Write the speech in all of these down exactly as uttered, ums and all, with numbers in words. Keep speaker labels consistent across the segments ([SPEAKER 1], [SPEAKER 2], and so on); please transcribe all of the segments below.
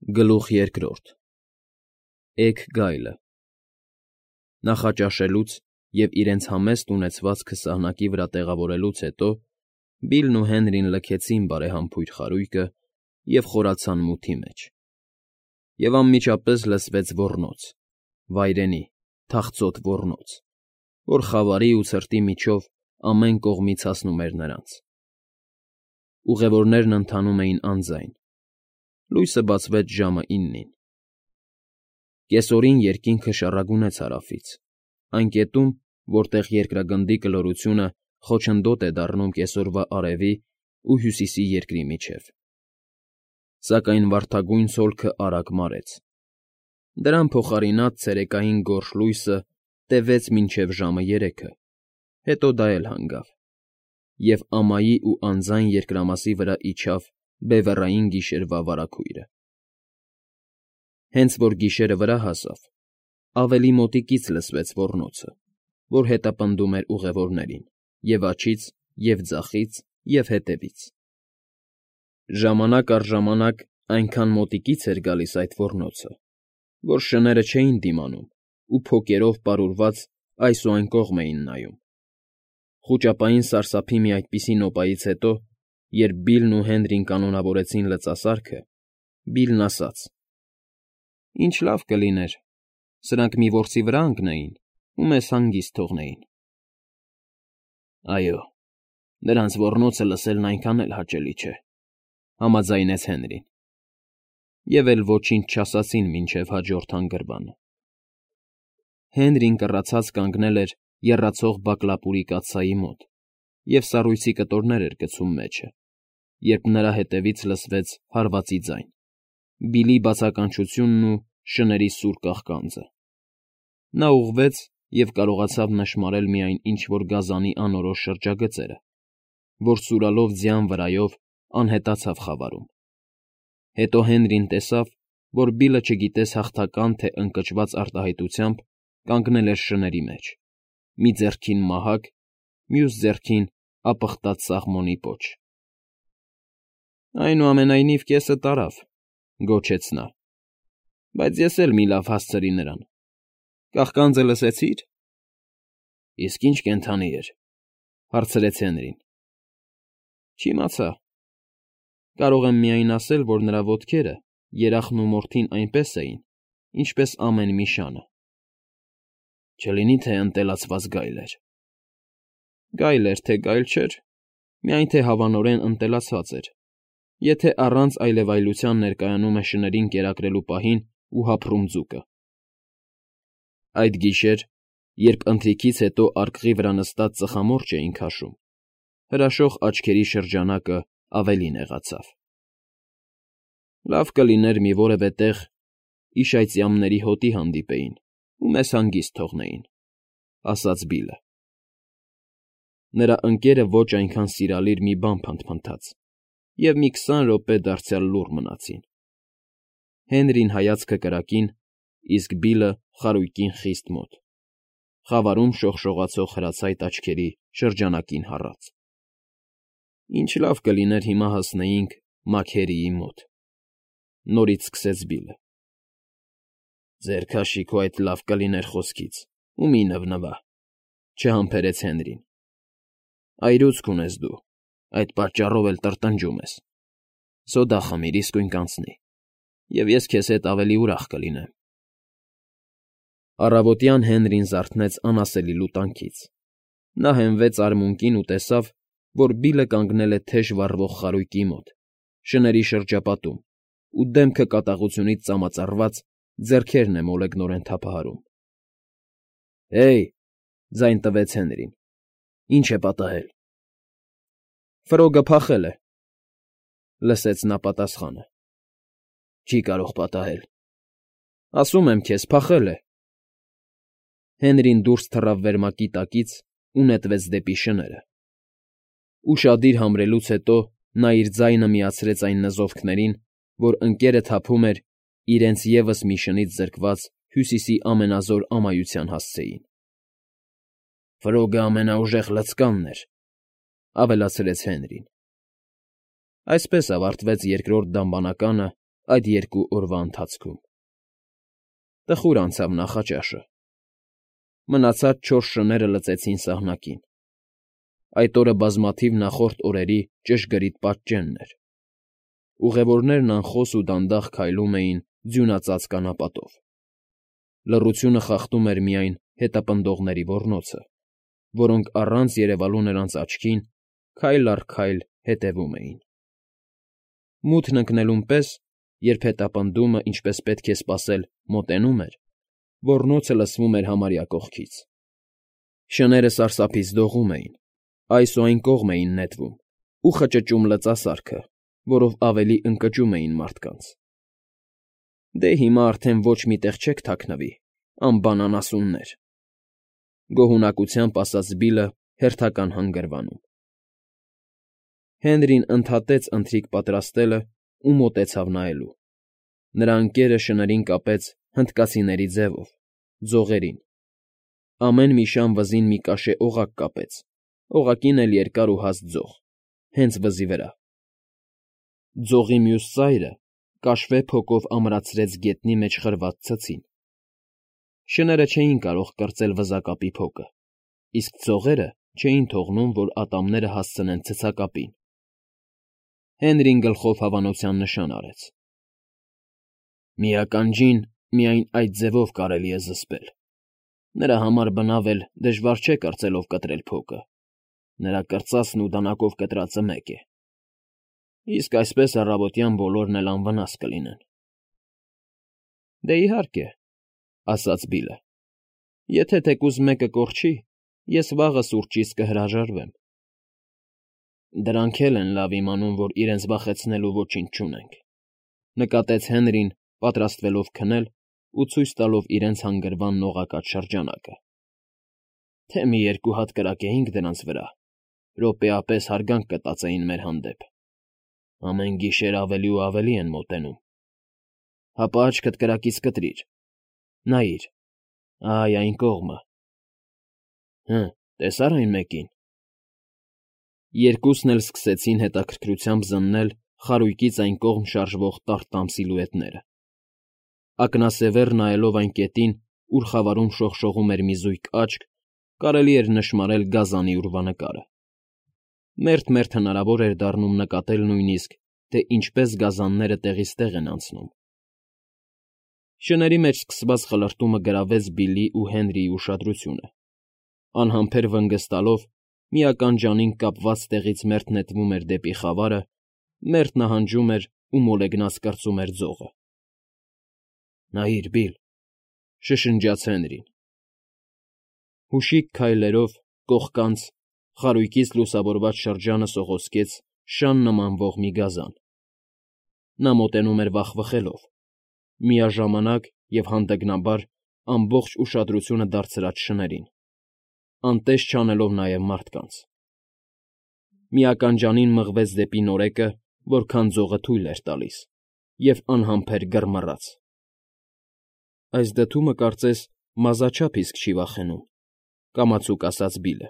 [SPEAKER 1] Գլուխ երկրորդ Էգ գայլը Նախաճաշելուց և իրենց համեստ ունեցվածքը սահնակի վրա տեղավորելուց հետո Բիլլն ու Հենրին լքեցին բարեհամբույր խարույկը և խորացան մութի մեջ, և անմիջապես լսվեց ոռնոց, վայրենի, թախծոտ ոռնոց, որ խավարի ու ցրտի միջով ամեն կողմից հասնում էր նրանց. Ուղևորներն ընթանում էին անձայն, լույսը բացվեց ժամը իննին. Կեսօրին երկինքը շառագունեց հարավից, այն կետում, որտեղ երկրագնդի կլորությունը խոչընդոտ է դառնում կեսօրվա արևի ու հյուսիսի երկրի միջև. Սակայն վարդագույն ցոլքը արագ մարեց. դրան փոխարինած ցերեկային գորշ լույսը տևեց մինչև ժամը երեքը, հետո դա էլ հանգավ, և ամայի ու անձայն երկրամասի վրա իջավ բևեռային գիշերվա վարագույրը։ Հենց որ գիշերը վրա հասավ, ավելի մոտիկից լսվեց ոռնոցը, որ հետապնդում էր ուղևորներին և՛ աջից, և՛ ձախից, և հետևից. ժամանակ առ ժամանակ այնքան մոտիկից էր գալիս այդ ոռնոցը, որ շները չէին դիմանում ու փոկերով պարուրված այս ու այն կողմ էին նայում։ Խուճապային սարսափի մի այդպիսի նոպայից հետո, երբ Բիլլն ու Հենրին կանոնավորեցին լծասարքը, Բիլլն ասաց. «Ինչ լավ կլիներ սրանք մի որսի վրա ընկնեին ու մեզ հանգիստ թողնեին»։ ֊ Այո, նրանց ոռնոցը լսելն այնքան էլ հաճելի չէ,֊ համաձայնեց Հենրին, և էլ ոչինչ չասացին մինչև հաջորդ հանգրվանը։ Հենրին կռացած կանգնել էր եռացող բակլապուրի կաթսայի մոտ և սառույցի կտորներ էր գցում մեջը, երբ նրա հետևից լսվեց հարվածի ձայն, Բիլլի բացականչությունն ու շների սուր կաղկանձը։ Նա ուղղվեց և կարողացավ նշմարել միայն ինչ֊որ գազանի անորոշ շրջագծերը, որ սուրալով ձյան վրայով անհետացավ խավարում։ Հետո Հենրին տեսավ, որ Բիլլը չգիտես հաղթական թե ընկճված արտահայտությամբ կանգնել էր շների մեջ, մի ձեռքին մահակ, մյուս ձեռքին ապխտած սաղմոնի պոչ։ ֊ Այնուամենայնիվ կեսը տարավ,֊ գոչեց նա,֊ բայց ես էլ մի լավ հասցրի նրան։ Կաղկանձը լսեցի՞ր։ ֊ Իսկ ի՞նչ կենդանի էր,֊ հարցրեց Հենրին։ ֊ Չիմացա։ Կարող եմ միայն ասել, որ նրա ոտքերը, երախն ու մորթին այնպես էին, ինչպես ամեն մի շանը։ ֊ Չլինի՞ թե ընտելացված գայլ էր։ ֊ Գայլ էր, թե գայլ չէր, միայն թե հավանորեն ընտելացած էր, եթե առանց այլևայլության ներկայանում է շներին կերակրելու պահին ու հափռում ձուկը։ Այդ գիշեր, երբ ընթրիքից հետո արկղի վրա նստած ծխամորճ էին քաշում, հրաշող աչքերի շրջանակը ավելի նեղացավ։ ֊ Լավ կլիներ մի որևէ տեղ իշայծյամների հոտի հանդիպեին ու մեզ հանգիստ թողնեին,֊ ասաց Բիլլը։ Նրա ընկերը ոչ այնքան սիրալիր մի բան փնթփնթաց, և մի քսան րոպե դարձյալ լուռ մնացին։ Հենրին հայացքը կրակին, իսկ Բիլլը խարույկին խիստ մոտ, խավարում շողշողացող հրացայտ աչքերի շրջանակին հառած։ ֊ Ինչ լավ կլիներ հիմա հասնեինք Մաքերիի մոտ,֊ նորից սկսեց Բիլլը։ ֊ Ձեր քաշի քո այդ «լավ կլիներ» խոսքից ու մի՛ նվնվա,֊ չհամբերեց Հենրին։ ֊ Այրուձք ունես դու, այդ պատճառով էլ տրտնջում ես։ Սոդա խմիր, իսկույն կանցնի, և ես քեզ հետ ավելի ուրախ կլինեմ։ Առավոտյան Հենրին զարթնեց անասելի լուտանքից։ Նա հենվեց արմունկին ու տեսավ, որ Բիլլը կանգնել է թեժ վառվող խարույկի մոտ, շների շրջապատում ու դեմքը կատաղությունից ծամածառված, ձեռքերն է մոլեգնորեն թափահարում։ ֊ Հե՜յ,֊ ձայն տվեց Հենրին,֊ ի՞նչ է պատահել։ ֊ Ֆրոգը փախել է,֊ լսեց նա պատասխանը։ ֊ Չի կարող պատահել։ ֊ Ասում եմ քեզ, փախել է։ Հենրին դուրս թռավ վերմակի տակից ու նետվեց դեպի շները։ Ուշադիր համրելուց հետո նա իր ձայնը միացրեց այն նզովքներին, որ ընկերը թափում էր իրենց ևս մի շնից զրկված Հյուսիսի ամենազոր ամայության հասցեին։ ֊ Ֆրոգը ամենաուժեղ լցկանն էր,֊ ավելացրեց Հենրին։ Այսպես ավարտվեց երկրորդ դամբանականը այդ երկու օրվա ընթացքում։ Տխուր անցավ նախաճաշը։ Մնացած չորս շները լծեցին սահնակին։ Այդ օրը բազմաթիվ նախորդ օրերի ճշգրիտ պատճենն էր։ Ուղևորներն անխոս ու դանդաղ քայլում էին ձյունածածկ անապատով։ Լռությունը խախտում էր միայն հետապնդողների ոռնոցը, որոնք առանց երևալու նրանց աչքին քայլ առ քայլ հետևում էին։ Մութն ընկնելուն պես, երբ հետապնդումը, ինչպես պետք է սպասել, մոտենում էր, ոռնոցը լսվում էր համարյա կողքից։ Շները սարսափից դողում էին, այս ու այն կողմ էին նետվում ու խճճում լծասարքը, որով ավելի ընկճում էին մարդկանց։ Դե հիմա արդեն ոչ մի տեղ չեք թաքնվի, անբանան ասուններ,֊ գոհունակությամբ ասաց Բիլլը հերթական հանգրվանում։ Հենրին ընդհատեց ընթրիք պատրաստելն ու մոտեցավ նայելու։ Նրա ընկերը շներին կապեց հնդկացիների ձևով, ձողերին։ Ամեն մի շան վզին մի կաշե օղակ կապեց, օղակին էլ երկար ու հաստ ձող, հենց վզի վրա։ Ձողի մյուս ծայրը կաշվե փոկով ամրացրեց գետնի մեջ խրված ցցին։ Շները չէին կարող կրծել վզակապի փոկը, իսկ ձողերը չէին թողնում, որ ատամները հասցնեն ցցակապին։ Հենրին գլխով հավանության նշան արեց։ Մի ականջին միայն այդ ձևով կարելի է զսպել։ Նրա համար բնավ էլ դժվար չէ կրծելով կտրել փոկը։ Նրա կրծածն ու դանակով կտրածը մեկ է։ Իսկ այսպես առավոտյան բոլորն էլ անվնաս կլինեն։ Դե իհարկե, ասաց Բիլլը, եթե թեկուզ մեկը կորչի, ես վաղը սուրճից կհրաժարվեմ։ Դրանք էլ են լավ իմանում, որ իրենց վախեցնելու ոչինչ չունենք,֊ նկատեց Հենրին, պատրաստվելով քնել ու ցույց տալով իրենց հանգրվանն օղակած շրջանակը։ Թե մի երկու հատ կրակեինք դրանց վրա, րոպեապես հարգանք կտածեին մեր հանդեպ։ Ամեն գիշեր ավելի ու ավելի են մոտենում։ Հապա աչքդ կրակից կտրիր։ Նայիր, այ այն կողմը։ Հը, տեսա՞ր այն մեկին։ Երկուսն էլ սկսեցին հետաքրքրությամբ զննել խարույկից այն կողմ շարժվող տառտամ սիլուետները։ Ակնասևեռ նայելով այն կետին, ուր խավարում շողշողում էր մի զույգ աչք, կարելի էր նշմարել գազանի ուրվանկարը։ Մերթ֊մերթ հնարավոր էր դառնում նկատել նույնիսկ, թե ինչպես գազանները տեղից տեղ են անցնում։ Շների մեջ սկսված խլրտումը գրավեց Բիլլի ու Հենրիի ուշադրությունը։ Անհամբեր վնգստալով, մի ականջանին կապված տեղից մերթ նետվում էր դեպի խավարը, մերթ նահանջում էր ու մոլեգնած կրծում էր ձողը։ Նայիր, Բիլլ,֊ շշնջաց Հենրին։ Հուշիկ քայլերով, կողկանց, խարույկից լուսավորված շրջանը սողոսկեց շան նմանվող մի գազան։ Նա մոտենում էր վախվխելով, միաժամանակ և հանդգնաբար ամբողջ ուշադրությունը դարձրած շներին, անտեստ չանելով նաև մարդկանց։ Մի ականջանին մղվեց դեպի նորեկը, որքան ձողը թույլ էր տալիս, և անհամբեր գրմռաց։ Այս դդումը, կարծես, մազաչափ իսկ չի վախենում,֊ կամացուկ ասաց Բիլլը։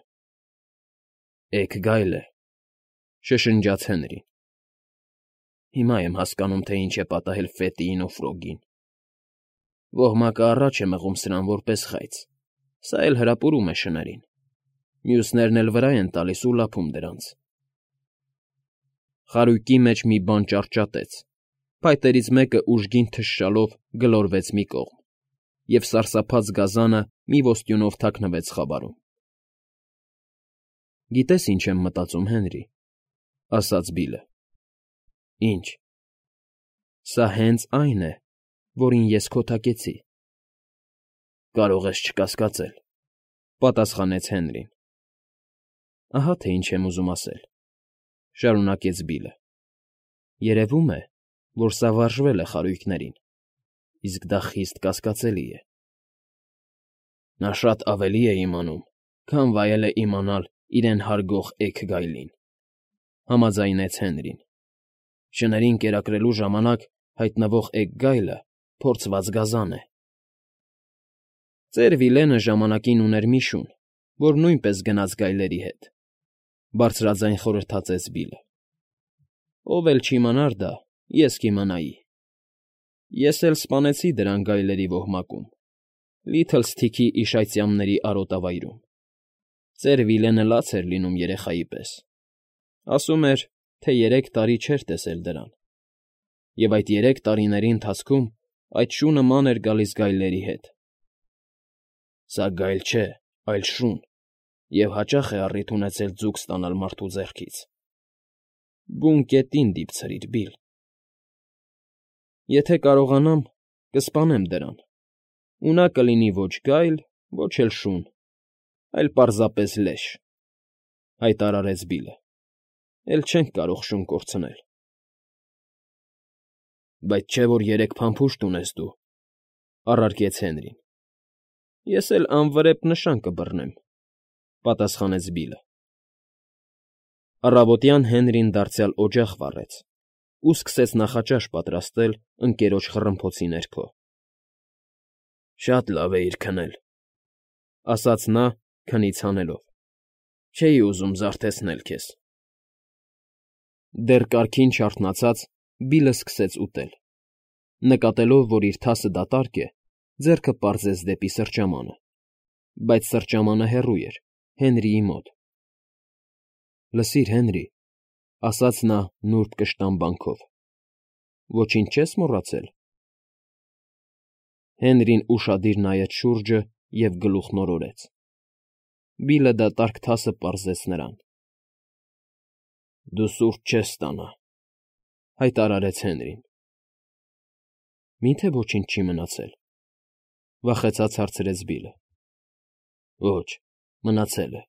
[SPEAKER 1] Էգ գայլ է,֊ շշնջաց Հենրին։ Հիմա եմ հասկանում, թե ինչ է պատահել Ֆետիին ու Ֆրոգին։ Ոհմակը առաջ է մղում սրան որպես խայծ, սա էլ հրապուրում է շներին, մյուսներն էլ վրա են տալիս ու լափում դրանց։ Խարույկի մեջ մի բան ճարճատեց, փայտերից մեկը ուժգին թշշալով գլորվեց մի կողմ, և սարսափած գազանը մի ոստյունով թաքնվեց խավարում։ Գիտե՞ս ինչ եմ մտածում, Հենրի,֊ ասաց Բիլլը։ Ինչ։ Սա հենց այն է, որին ես քոթակեցի։ Կարող ես չկասկածել,֊ պատասխանեց Հենրին։ Ահա թե ինչ եմ ուզում ասել,֊ շարունակեց Բիլլը։ Երևում է, որ սա վարժվել է խարույկներին, իսկ դա խիստ կասկածելի է։ Նա շատ ավելի է իմանում, քան վայել է իմանալ իրեն հարգող էգ գայլին,֊ համաձայնեց Հենրին։ Շներին կերակրելու ժամանակ հայտնվող էգ գայլը փորձված գազան է։ Ծեր Վիլենը ժամանակին ուներ մի շուն, որ նույնպես գնաց գայլերի հետ,֊ բարձրաձայն խորհրդածեց Բիլլը։ Ով էլ չիմանար դա, ես կիմանայի։ Ես էլ սպանեցի դրան գայլերի ոհմակում, Լիթլսթիքի իշայծյամների արոտավայրում. ծեր Վիլենը լաց էր լինում երեխայի պես, ասում էր, թե երեք տարի չէր տեսել դրան, և այդ երեք տարիների ընթացքում այդ շունը ման էր գալիս գայլերի հետ։ Սա գայլ չէ, այլ շուն, և հաճախ է առիթ ունեցել ձուկ ստանալ մարդու ձեռքից։ Բուն կետին դիպցրիր, Բիլ։ Եթե կարողանամ, կսպանեմ դրան, ու նա կլինի ոչ գայլ, ոչ էլ շուն, այլ պարզապես լեշ, ֊ հայտարարեց Բիլը։ Էլ չենք կարող շուն կորցնել։ Բայց չէ՞ որ երեք փամփուշտ ունես դու, ֊ առարկեց Հենրին։ Ես էլ անվրեպ նշան կբռնեմ, ֊ պատասխանեց Բիլը։ Առավոտյան Հենրին դարձյալ օջախ վառեց ու սկսեց նախաճաշ պատրաստել ընկերոջ խռմփոցի ներքո։ Շատ լավ էիր քնել, ֊ ասաց նա, քնից հանելով, ֊ չէի ուզում զարթեցնել քեզ։ Դեռ կարգին չարթնացած Բիլը սկսեց ուտել։ Նկատելով, որ իր թասը դատարկ է, ձեռքը պարզեց դեպի սրճամանը, բայց սրճամանը հեռու էր, Հենրիի մոտ։ Լսիր, Հենրի, ֊ ասաց նա նուրբ կշտամբանքով, ֊ ոչինչ չես մոռացել։ Հենրին ուշադիր նայեց շուրջը և գլուխն օրորեց։ Բիլը դատարկ թասը պարզեց նրան։ Դու սուրճ չես ստանա, ֊ հայտարարեց Հենրին։ Մի՞թե ոչինչ չի մնացել, ֊ վախեցած հարցրեց Բիլը։ Ոչ, մնացել է։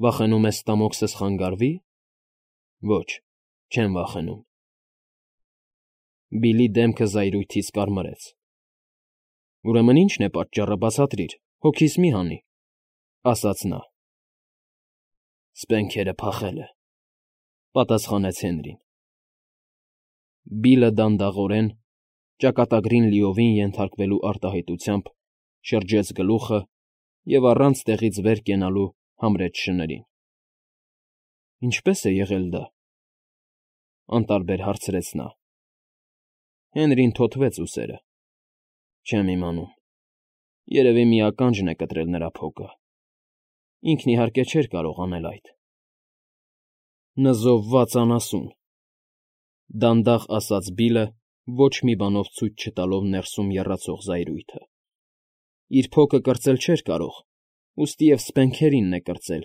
[SPEAKER 1] Վախենում ես ստամոքսս խանգարվի՞։ Ոչ, չեմ վախենում։ Բիլի դեմքը զայրույթից կարմրեց։ Ուրեմն ի՞նչն է պատճառը, բացատրիր, հոգիս մի հանի, ֊ ասաց նա։ Սպենքերը փախել է, ֊ պատասխանեց Հենրին։ Բիլը դանդաղորեն, ճակատագրին լիովին ենթարկվելու արտահայտությամբ շրջեց գլուխը և առանց տեղից վեր կենալու համրեց շներին։ Ինչպե՞ս է եղել դա, ֊ անտարբեր հարցրեց նա։ Հենրին թոթվեց ուսերը։ Չեմ իմանում։ Երևի մի ականջն է կտրել նրա փոքը։ Ինքն, իհարկե, չէր կարող անել այդ։ Նզովված անասուն, ֊ դանդաղ ասաց Բիլը, ոչ մի բանով ցույց չտալով ներսում եռացող զայրույթը։ Իր փոքը կրծել չէր կարող, ուստի և սփենքերինն է կրծել։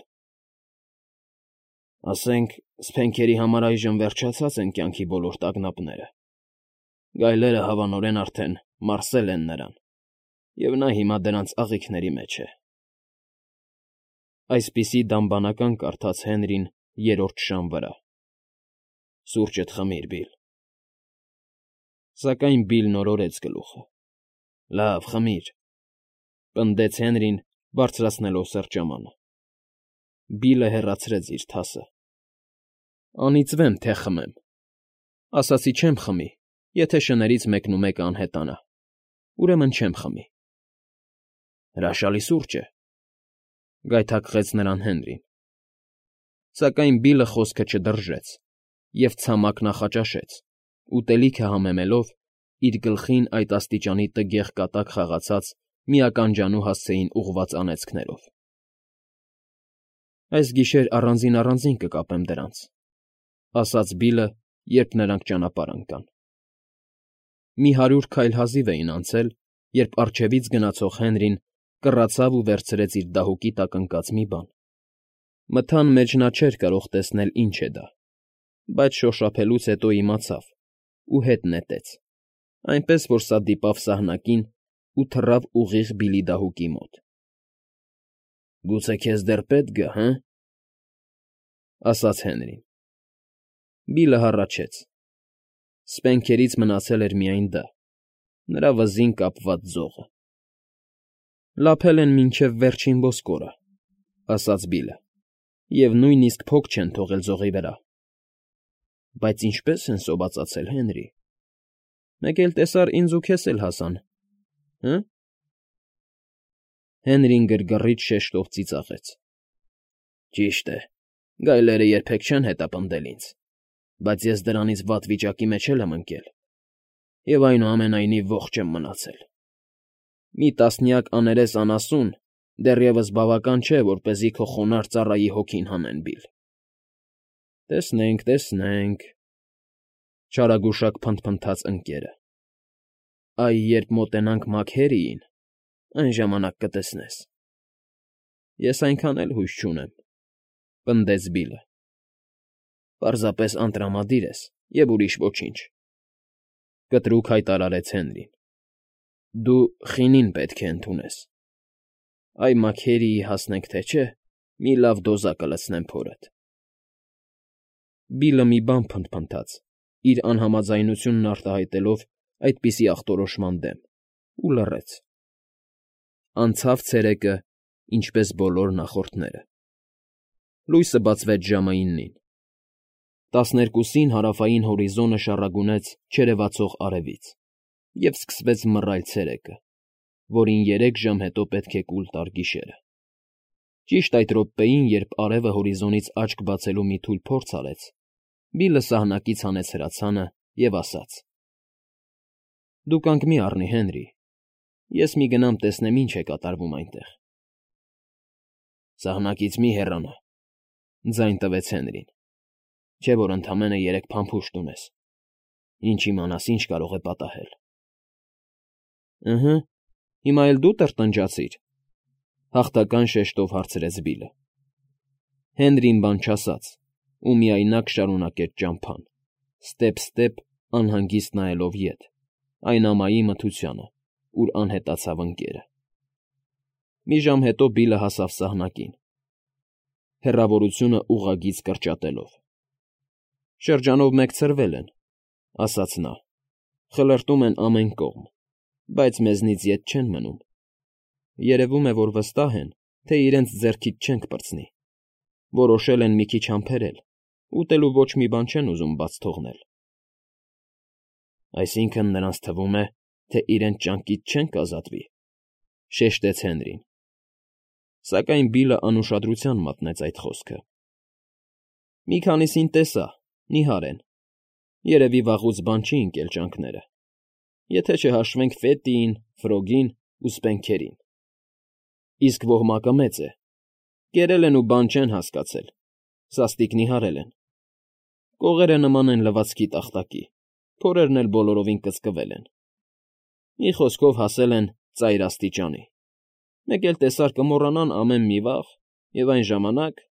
[SPEAKER 1] Ասենք, սփենքերի համար այժմ վերջացած են կյանքի բոլոր տագնապները։ Գայլերը հավանորեն արդեն մարսել են նրան, և նա հիմա դրանց աղիքների մեջ է։ Այսպիսի դամբանական կարդաց Հենրին երրորդ շան վրա։ Սուրճդ խմիր, Բիլ։ Սակայն Բիլն օրորեց գլուխը։ Լավ, խմիր, ֊ պնդեց Հենրին, բարձրացնելով սրճամանը։ Բիլը հեռացրեց իր թասը։ Անիծվեմ, թե խմեմ։ Ասացի չեմ խմի, եթե շներից մեկնումեկը անհետանա, ուրեմն չեմ խմի։ Հրաշալի սուրճ է, ֊ գայթակղեց նրան Հենրին։ Սակայն Բիլը խոսքը չդրժեց և ցամաք նախաճաշեց, ուտելիքը համեմելով իր գլխին այդ աստիճանի տգեղ կատակ խաղացած մի ականջանու հասցեին ուղղված անեծքներով։ Այս գիշեր առանձին֊առանձին կկապեմ դրանց, ֊ ասաց Բիլը, երբ նրանք ճանապարհ ընկան։ Մի հարյուր քայլ հազիվ էին անցել, երբ առջևից գնացող Հենրին կռացավ ու վերցրեց իր դահուկի տակ ընկած մի բան։ Մթան մեջ նա չէր կարող տեսնել ինչ է դա, բայց շոշափելուց հետո իմացավ ու հետ նետեց, այնպես որ սա դիպավ սահնակին ու թռավ ուղիղ Բիլի դահուկի մոտ։ Գուցե քեզ դեռ պետք գա, հը՞, ֊ ասաց Հենրին։ Բիլը հառաչեց։ Սպենքերից մնացել էր միայն դա, նրա վզին կապված ձողը։ Լափել են մինչև վերջին ոսկորը, ֊ ասաց Բիլը, ֊ և նույնիսկ փոք չեն թողել ձողի վրա։ Բայց ինչպե՞ս են սովածացել, Հենրի։ Մեկ էլ տեսար, ինձ ու քեզ էլ հասան, հը՞։ Հենրին գրգռիչ շեշտով ծիծաղեց։ Ճիշտ է, գայլերը երբեք չեն հետապնդել ինձ, բայց ես դրանից վատ վիճակի մեջ էլ եմ ընկել։ և այնուամենայնիվ ողջ եմ մնացել։ Մի տասնյակ աներես անասուն դեռևս բավական չէ, որպեսզի քո խոնարհ ծառայի հոգին հանեն, Բիլլ։ ֊ Տեսնենք, տեսնենք,֊ չարագուշակ փնթփնթաց ընկերը։֊ Այ երբ մոտենանք Մաքհերիին, այն ժամանակ կտեսնես։ ֊ Ես այնքան էլ հույս չունեմ,֊ պնդեց Բիլլը։ ֊ Պարզապես անտրամադիր ես, և ուրիշ ոչինչ,֊ կտրուկ հայտարարեց Հենրին։ ֊ Դու խինին պետք է ընդունես։ Այ Մաքերիի հասնենք թե չէ, մի լավ դոզա կլցնեմ փորդ։ Բիլլը մի բան փնթփնթաց, իր անհամաձայնությունն արտահայտելով այդպիսի ախտորոշման դեմ, ու լռեց։ Անցավ ցերեկը, ինչպես բոլոր նախորդները։ Լույսը բացվեց ժամը իննին։ Տասներկուսին հարավային հորիզոնը շառագունեց չերևացող արևից, և սկսվեց մռայլ ցերեկը, որին երեք ժամ հետո պետք է կուլ տար գիշերը։ Ճիշտ այդ րոպեին, երբ արևը հորիզոնից աչք բացելու մի թույլ փորձ արեց, Բիլլը սահնակից հանեց հրացանը և ասաց. «Դու կանգ մի առնի, Հենրի, ես մի գնամ տեսնեմ ինչ է կատարվում այնտեղ»։ ֊ Սահնակից մի հեռանա,֊ ձայն տվեց Հենրին,֊ չէ՞ որ ընդամենը երեք փամփուշտ ունես, ինչ իմանաս ինչ կարող է պատահել։ ֊ Ըհը, հիմա էլ դու տրտնջացիր,֊ հաղթական շեշտով հարցրեց Բիլլը։ Հենրին բան չասաց ու միայնակ շարունակեց ճամփան, ստեպ֊ստեպ անհանգիստ նայելով ետ, այն ամայի մթությանը, ուր անհետացավ ընկերը։ Մի ժամ հետո Բիլլը հասավ սահնակին, հեռավորությունը ուղղագիծ կրճատելով։ ֊ Շրջանով մեկ ցրվել են,֊ ասաց նա,֊ խլրտում են ամեն կողմ, բայց մեզնից ետ չեն մնում։ Երևում է, որ վստահ են, թե իրենց ձեռքից չենք պրծնի, որոշել են մի քիչ համբերել, ուտելու ոչ մի բան չեն ուզում բաց թողնել։ ֊ Այսինքն՝ նրանց թվում է, թե իրենց ճանկից չենք ազատվի,֊ շեշտեց Հենրին։ Սակայն Բիլլը անուշադրության մատնեց այդ խոսքը։ ֊ Մի քանիսին տեսա, նիհար են, երևի վաղուց բան չի ընկել ճանկները, եթե չհաշվենք Ֆետիին, Ֆրոգին ու Սպենքերին։ Իսկ ոհմակը մեծ է, կերել են ու բան չեն հասկացել, սաստիկ նիհարել են։ Կողերը նման են լվացքի տախտակի, փորերն էլ բոլորովին կծկվել են։ Մի խոսքով հասել են ծայր աստիճանի, մեկ էլ տեսար կմոռանան ամեն մի վաղ, և այն ժամանակ…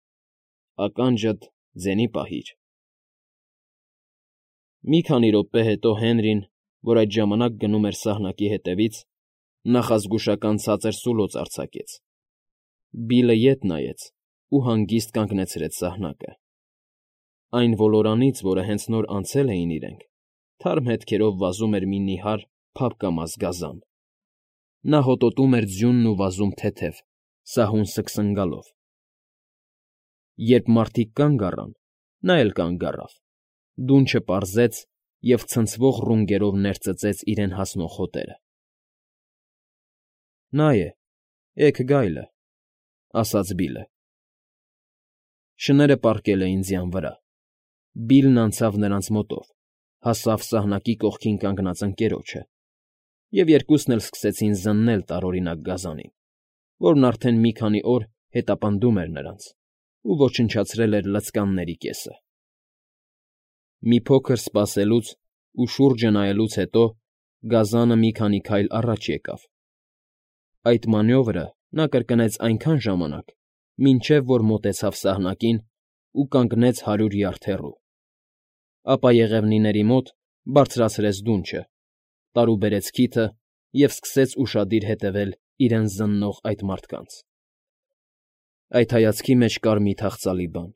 [SPEAKER 1] ականջդ ձենի պահիր։ Մի քանի րոպե հետո Հենրին, որ այդ ժամանակ գնում էր սահնակի հետևից, նախազգուշական ցածր սուլոց արձակեց։ Բիլլը ետ նայեց ու հանգիստ կանգնեցրեց սահնակը։ Այն ոլորանից, որը հենց նոր անցել էին իրենք, թարմ հետքերով վազում էր մի նիհար, փափկամազ գազան։ Նա հոտոտում էր ձյունն ու վազում թեթև, սահուն սգսնգալով։ Երբ մարդիկ կանգ առան, նա էլ կանգ առավ, դունչը պարզեց և ցնցվող ռունգերով ներծծեց իրեն հասնող հոտերը։ ֊ Նա է, էգ գայլը,֊ ասաց Բիլլը։ Շները պառկել էին ձյան վրա։ Բիլլն անցավ նրանց մոտով, հասավ սահնակի կողքին կանգնած ընկերոջը, և երկուսն էլ սկսեցին զննել տարօրինակ գազանին, որն արդեն մի քանի օր հետապնդում էր նրանց ու ոչնչացրել էր լծկանների կեսը։ Մի փոքր սպասելուց ու շուրջը նայելուց հետո գազանը մի քանի քայլ առաջ եկավ։ Այդ մանևրը նա կրկնեց այնքան ժամանակ, մինչև որ մոտեցավ սահնակին ու կանգնեց հարյուր յարդ հեռու, ապա եղևնիների մոտ բարձրացրեց դունչը, տարուբերեց քիթը և սկսեց ուշադիր հետևել իրեն զննող այդ մարդկանց։ Այդ հայացքի մեջ կար մի թախծալի բան,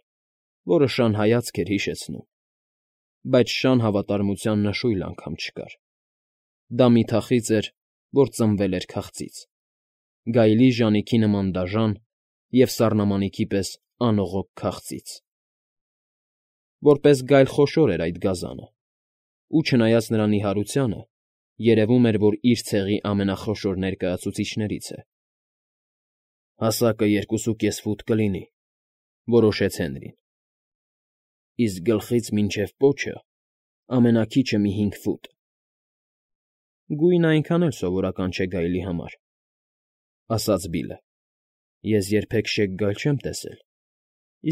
[SPEAKER 1] որը շան հայացք էր հիշեցնում, բայց շան հավատարմության նշույլ անգամ չկար։ Դա մի թախիծ էր, որ ծնվել էր քաղցից, գայլի ժանիքի նման դաժան և սառնամանիքի պես անողոք քաղցից։ Որպես գայլ խոշոր էր այդ գազանը, ու չնայած նրա նիհարությանը, երևում էր, որ իր ցեղի ամենախոշոր ներկայացուցիչներից է։ ֊ Հասակը երկուսուկես ֆուտ կլինի,֊ որոշեց Հենրին։ ֊ Իսկ գլխից մինչև պոչը ամենաքիչը մի հինգ ֆուտ։ Գույնը այնքան էլ սովորական չէ գայլի համար, ֊ ասաց Բիլլը։ Ես երբեք շեկ գայլ չեմ տեսել,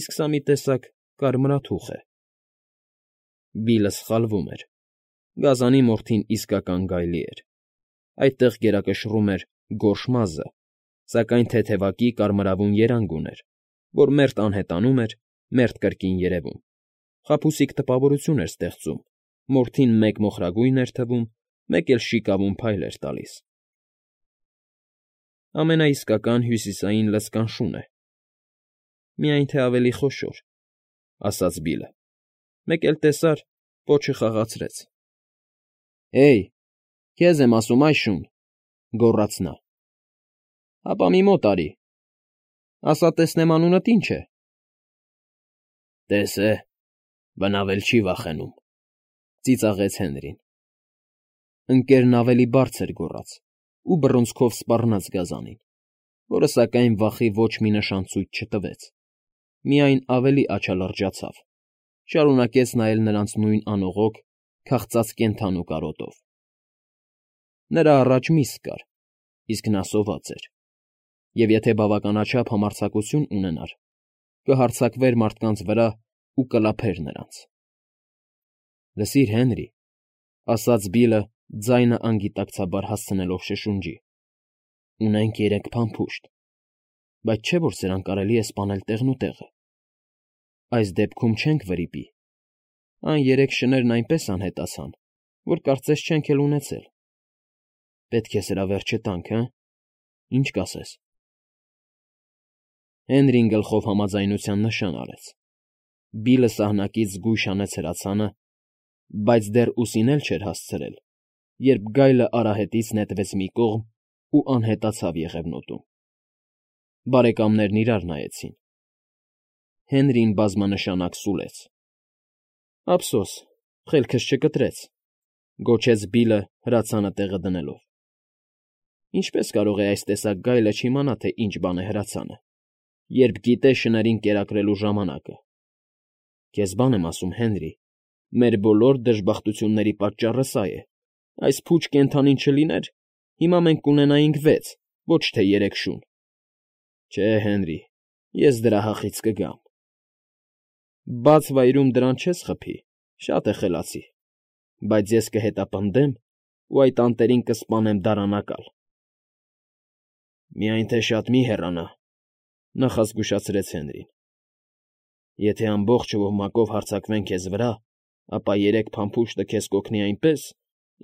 [SPEAKER 1] իսկ սա մի տեսակ կարմրաթուխ է։ Բիլլը սխալվում էր. գազանի մորթին իսկական գայլի էր, այդտեղ գերակշռում էր գորշ մազը, սակայն թեթևակի կարմրավուն երանգ ուներ, որ մերթ անհետանում էր, մերթ կրկին երևում, խաբուսիկ տպավորություն էր ստեղծում, մորթին մեկ մոխրագույն էր թվում, մեկ էլ շիկավուն փայլ էր տալիս։ Ամենաիսկական հյուսիսային լցկան շուն է, միայն թե ավելի խոշոր, ֊ ասաց Բիլլը, մեկ էլ տեսար, պոչը խաղացրեց։ ֊ Հեյ, քեզ եմ ասում, այ շուն, ֊ գոռաց նա։ ֊ Հապա մի մոտ արի, ասա տեսնեմ անունդ ինչ է։ ֊ Տես է, բնավել չի վախենում, ֊ ծիծաղեց Հենրին։ Ընկերն ավելի բարձր գոռաց ու բռունցքով սպառնաց գազանին, որը, սակայն, վախի ոչ մի նշան ցույց չտվեց, միայն ավելի աչալրջացավ, շարունակեց նայել նրանց նույն անողոք, քաղցած կենդանու կարոտով։ Նրա առաջ միս կար, իսկ նա սոված էր, և եթե բավականաչափ համարձակություն ունենար, կհարձակվեր մարդկանց վրա ու կլափեր նրանց։ ֊ Լսիր, Հենրի, ֊ ասաց Բիլլը, ձայնը անգիտակցաբար հասցնելով շշունջի, ֊ ունենք երեք փամփուշտ, բայց չէ՞ որ սրանք կարելի է սպանել տեղնուտեղը։ Այս դեպքում չենք վրիպի, այն երեք շներն այնպես անհետացան, որ կարծես չենք էլ ունեցել։ Պետք է սրա վերջը տանք, հը՞, ինչ կասես։ Հենրին գլխով համաձայնության նշան արեց։ Բիլլը սահնակից զգույշ հանեց հրացանը, բայց դեռ ուսին էլ չէր հասցրել, երբ գայլը արահետից նետվեց մի կողմ ու անհետացավ եղևնուտում։ Բարեկամներն իրար նայեցին։ Հենրին բազմանշանակ սուլեց։ ֊ Ափսոս, խելքս չկտրեց, ֊ գոչեց Բիլլը հրացանը տեղը դնելով։ Ինչպե՞ս կարող է այս տեսակ գայլը չիմանա, թե ինչ բան է հրացանը, երբ գիտե շներին կերակրելու ժամանակը։ Քեզ բան եմ ասում, Հենրի, մեր բոլոր դժբախտությունների պատճառը սա է. այս փուչ կենդանին չլիներ, հիմա մենք կունենայինք վեց, ոչ թե երեք շուն։ Չէ, Հենրի, ես դրա հախից կգամ։ Բաց վայրում դրան չես խփի, շատ է խելացի, բայց ես կհետապնդեմ ու այդ անտերին կսպանեմ դարանակալ։ Միայն թե շատ մի հեռանա, ֊ նախազգուշացրեց Հենրին։ Եթե ամբողջ ոհմակով հարձակվեն քեզ վրա, ապա երեք փամփուշտը քեզ կօգնի այնպես,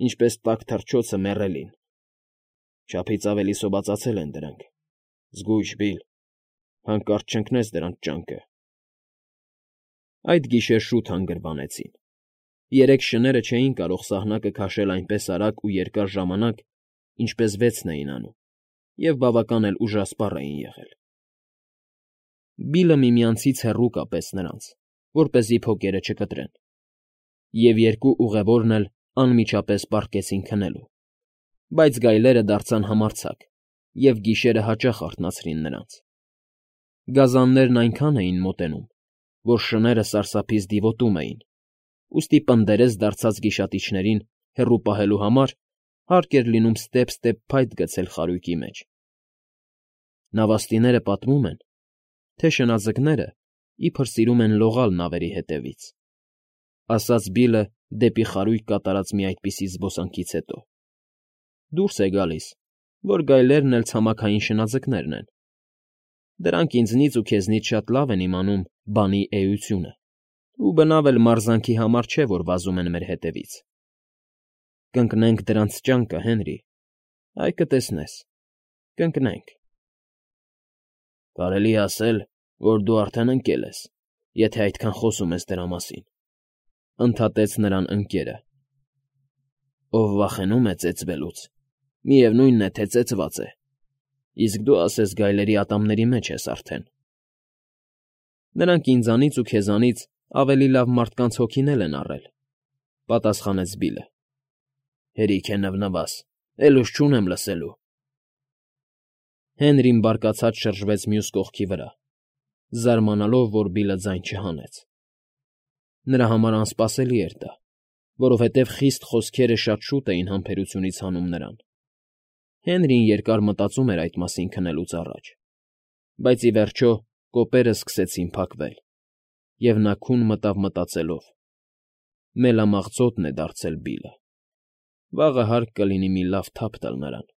[SPEAKER 1] ինչպես տաք թռչոցը մեռելին։ Չափից ավելի սովածացել են դրանք։ Զգույշ, Բիլլ, հանկարծ չընկնես դրանց ճանկը։ Այդ գիշեր շուտ հանգրվանեցին։ Երեք շները չէին կարող սահնակը քաշել այնպես արագ ու երկար ժամանակ, ինչպես վեցն էին անում, և բավական էլ ուժասպառ էին եղել։ Բիլլը միմյանցից հեռու կապեց նրանց, որպեսզի փոկերը չկտրեն, և երկու ուղևորն էլ անմիջապես պառկեցին քնելու, բայց գայլերը դարձան համարձակ և գիշերը հաճախ արթնացրին նրանց։ Գազաններն այնքան էին մոտենում, որ շները սարսափից դիվոտում էին, ուստի պնդերես դարձած գիշատիչներին հեռու պահելու համար հարկ էր լինում ստեպ֊ստեպ փայտ գցել խարույկի մեջ։ Նավաստիները պատմում են, թե շնաձկները իբր սիրում են լողալ նավերի հետևից, ֊ ասաց Բիլլը դեպի խարույկ կատարած մի այդպիսի զբոսանքից հետո։ Դուրս է գալիս, որ գայլերն էլ ցամաքային շնաձկներն են։ Դրանք ինձնից ու քեզնից շատ լավ են իմանում բանի էությունը, ու բնավ էլ մարզանքի համար չէ, որ վազում են մեր հետևից։ Կընկնենք դրանց ճանկը, Հենրի, այ կտեսնես, կընկնենք։ Կարելի է ասել, որ դու արդեն ընկել ես, եթե այդքան խոսում ես դրա մասին, ֊ ընդհատեց նրան ընկերը։ Ով վախենում է ծեծվելուց, միևնույնն է, թե ծեծված է, իսկ դու ասես գայլերի ատամների մեջ ես արդեն։ Նրանք ինձանից ու քեզանից ավելի լավ մարդկանց հոգինել են առել, ֊ պատասխանեց Բիլլը։ Հերիք է նվնվաս, էլ ուժ չունեմ լսելու։ Հենրին բարկացած շրջվեց մյուս կողքի վրա, զարմանալով, որ Բիլլը ձայն չհանեց։ Նրա համար անսպասելի էր դա, Որովհետև խիստ խոսքերը շատ շուտ էին համբերությունից հանում նրան։ Հենրին երկար մտածում էր այդ մասին քնելուց առաջ, բայց, ի վերջո, կոպերը սկսեցին փակվել, և նա քուն մտավ մտածելով. «Մելամաղձոտն է դարձել Բիլլը, վաղը հարկ կլինի մի լավ թափ տալ նրան»։